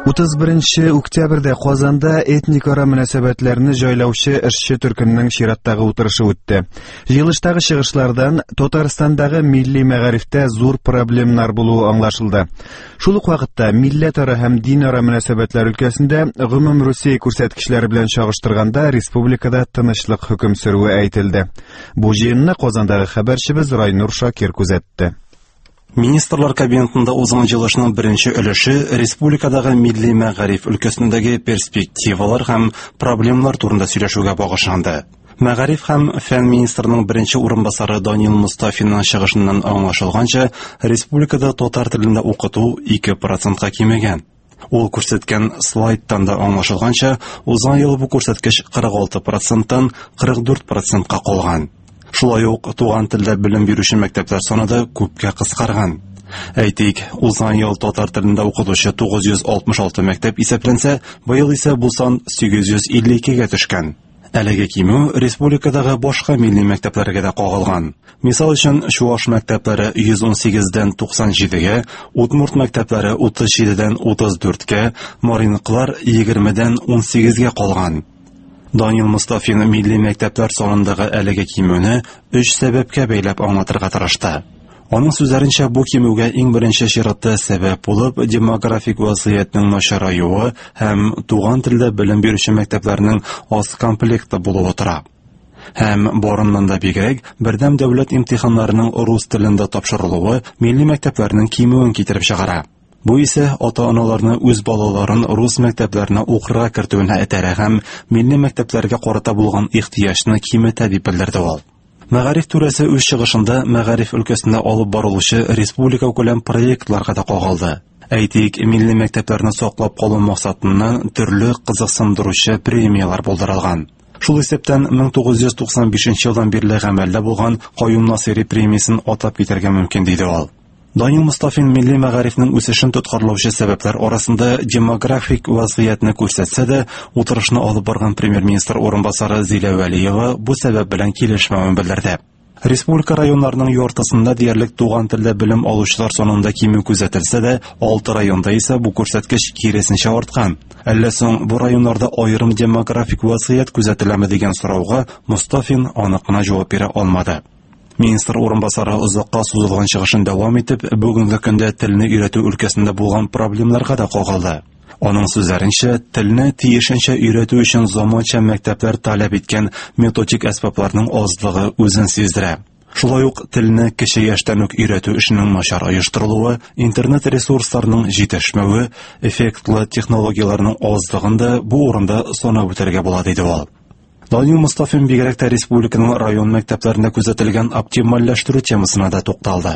31 октябрьдә Казанда этникара мөнәсәбәтләрне җайлаучы эшче төркемнең чираттагы утырышы үтте. Җыелыштагы чыгышлардан Татарстандагы милли мәгарифтә зур проблемнар булуы аңлашылды. Шул ук вакытта милләтара һәм динара мөнәсәбәтләр өлкәсендә гомум Русия күрсәткечләре белән чагыштырганда республикада тынычлык хөкем сөрүе әйтелде. Бу җыенны Казандагы хәбәрчебез Райнур Шакир күзәтте. Министрлар кабинетында узган җыелышның беренче өлеше республикадагы милли мәгариф өлкәсендәге перспективалар һәм проблемалар турында сөйләшүгә багышланды. Мәгариф һәм фән министрының беренче урынбасары Данил Мустафинның чыгышыннан аңлашылганча, республикада татар телендә укыту 2%-ка кимегән. Ул күрсәткән слайдтан да аңлашылганча, узган ел бу күрсәткеч 46%-тан 44%-ка калган. Шулай ук туган телдә белем бирүче мәктәпләр саны да күпкә кыскарган. Әйтик, узган ел татар телендә укытучы 966 мәктәп исәпләнсә, быел исә бу сан 852-гә төшкән. Әлеге кимү республикадагы башка милли мәктәпләргә дә кагылган. Мисал өчен, чуаш мәктәпләре 118-дән 97-гә, удмурт мәктәпләре 37-дән 34-кә, мариныкылар 20-дән 18-гә калган. Данил Мустафин милли мәктәпләр санындагы әлеге кимүне өч сәбәпкә бәйләп аңлатырга тырышты. Аның сүзләренчә, бу кимүгә иң беренче чиратта сәбәп булып демографик вазгыятьнең начараюы һәм туган телдә белем бирүче мәктәпләрнең аз комплекты булуы тора. Һәм барыннан да бигрәк, бердәм дәүләт имтиханнарының рус телендә тапшырылуы милли мәктәпләрнең кимүен китереп чыгара. Бу исә ата-аналарны үз балаларын рус мәктәпләренә укырга кертүенә этәрә һәм милли мәктәпләргә карата булган ихтыяҗны киметә, дип белдерде ул. Мәгариф түрәсе үз чыгышында мәгариф өлкәсендә алып барылучы республикакүләм проектларга да кагылды. Әйтик, милли мәктәпләрне саклап калу максатыннан төрле кызыксындыручы премияләр булдырылган. Шул исәптән 1995 елдан бирле гамәлдә булган Каюм Насыйри премиясен атап китәргә мөмкин, диде ул. Данил Мустафин милли мәгарифнең үсешен тоткарлаучы сәбәпләр арасында демографик вазгыятьне күрсәтсә дә, утырышны алып барган премьер-министр урынбасары Зилә Вәлиева бу сәбәп белән килешмәвен белдерде. Республика районнарының яртысында диярлек туган телдә белем алучылар санында кимү күзәтелсә дә, алты районда исә бу күрсәткеч киресенчә арткан. Әллә соң бу районнарда аерым демографик вазгыять күзәтеләме дигән сорауга Мустафин анык кына җавап бирә алмады. Министр урынбасары озакка сузылган чыгышын дәвам итеп, бүгенге көндә телне өйрәтү өлкәсендә булган проблемнарга да кагылды. Аның сүзләренчә, телне тиешенчә өйрәтү өчен заманча мәктәпләр таләп иткән методик әсбапларның азлыгы үзен сиздерә. Шулай ук телне кече яшьтән үк өйрәтү эшенең начар оештырылуы, интернет ресурсларының җитешмәве, эффектлы технологияләрнең азлыгын да бу урында санап үтәргә була, диде ул. Данил Мустафин бигрәк тә республиканың район мәктәпләрендә күзәтелгән оптимальләштерү темасына да тукталды.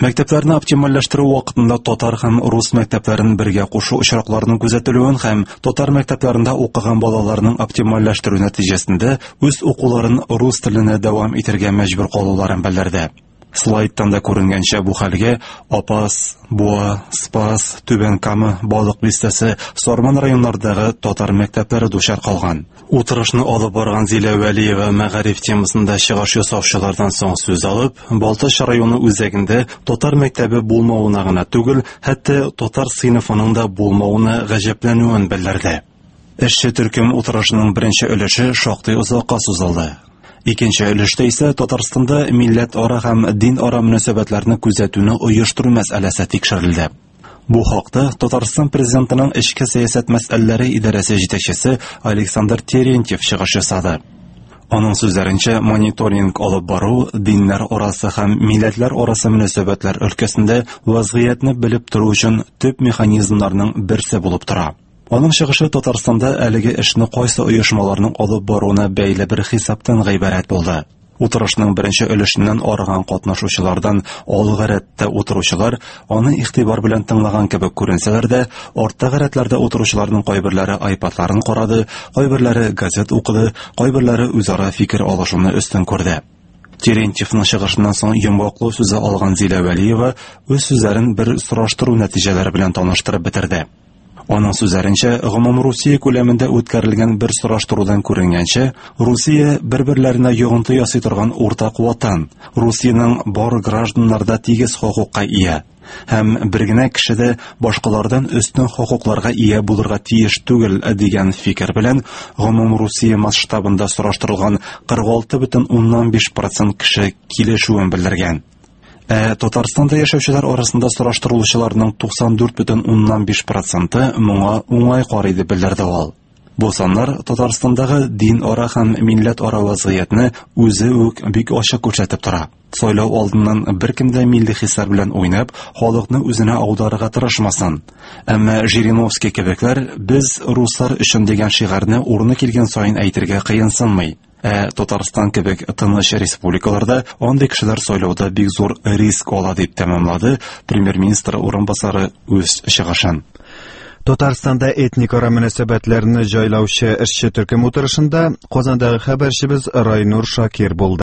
Мәктәпләрне оптимальләштерү вакытында татар һәм рус мәктәпләрен бергә кушу очракларының күзәтелүен һәм татар мәктәпләрендә укыган балаларның оптимальләштерү нәтиҗәсендә үз укуларын рус теленә дәвам итәргә мәҗбүр калуларын белдерде. Слайдтан да күренгәнчә, бу хәлгә Апас, Буа, Спас, Түбән Кама, Балык Бистәсе, Сарман районнарындагы татар мәктәпләре дучар калган. Утырышны алып барган Зилә Вәлиева мәгариф темасында чыгыш ясаучылардан соң сүз алып, Балтач районы үзәгендә татар мәктәбе булмавына гына түгел, хәтта татар сыйныфының да булмавына гаҗәпләнүен белдерде. Эшче төркем утырышының беренче өлеше шактый озакка сузылды. Икенче өлештә исә Татарстанда милләтара һәм динара мөнәсәбәтләрне күзәтүне оештыру мәсьәләсе тикшерелде. Бу хакта Татарстан президентының эчке сәясәт мәсьәләләре идарәсе җитәкчесе Александр Терентьев чыгыш ясады. Аның сүзләренчә, мониторинг алып бару диннәр арасы һәм милләтләр арасы мөнәсәбәтләр өлкәсендә вазгыятьне белеп тору өчен төп механизмнарның берсе булып тора. Аның чыгышы Татарстанда әлеге эшне кайсы оешмаларның алып баруына бәйле бер хисаптан гыйбарәт булды. Утырышның беренче өлешеннән арыган катнашучылардан алгы рәттә утыручылар аны игътибар белән тыңлаган кебек күренсәләр дә, арттагы рәтләрдә утыручыларның кайберләре айпадларын карады, кайберләре газет укыды, кайберләре үзара фикер алышуны өстен күрде. Терентьевның чыгышыннан соң йомгаклау сүзе алган Зилә Вәлиева үз сүзләрен бер сораштыру нәтиҗәләре белән таныштырып бетерде. Аның сүзләренчә, гомумрусия күләмендә үткәрелгән бер сораштырудан күренгәнчә, Русия бер-берләренә йогынты ясый торган уртак ватан. Русиянең бар гражданнары да тигез хокукка ия. Һәм бер генә кеше дә башкалардан өстен хокукларга ия булырга тиеш түгел дигән фикер белән гомумрусия масштабында сораштырылган 46,5 процент кеше килешүен белдергән. Ә Татарстанда яшәүчеләр арасында сораштырылучыларның 94,5 проценты моңа уңай карый дип белдерде ул. Бу саннар Татарстандагы дин ара һәм милләт ара вазгыятьне үзе үк бик ачык күрсәтеп тора. Сайлау алдыннан беркем дә милли хисләр белән уйнап, халыкны үзенә аударырга тырышмасын. Әмма Жириновский кебекләр без руслар өчен дигән шигарьне урыны килгән саен әйтергә кыенсынмый. Ә Татарстан кебек тыныч республикаларда андый кешеләр сайлауда бик зур риск ала дип тәмамлады премьер-министр урынбасары үз чыгышын. Татарстанда этникара мөнәсәбәтләрне җайлаучы эшче төркем утырышында Казандагы хәбәрчебез Райнур Шакир булды.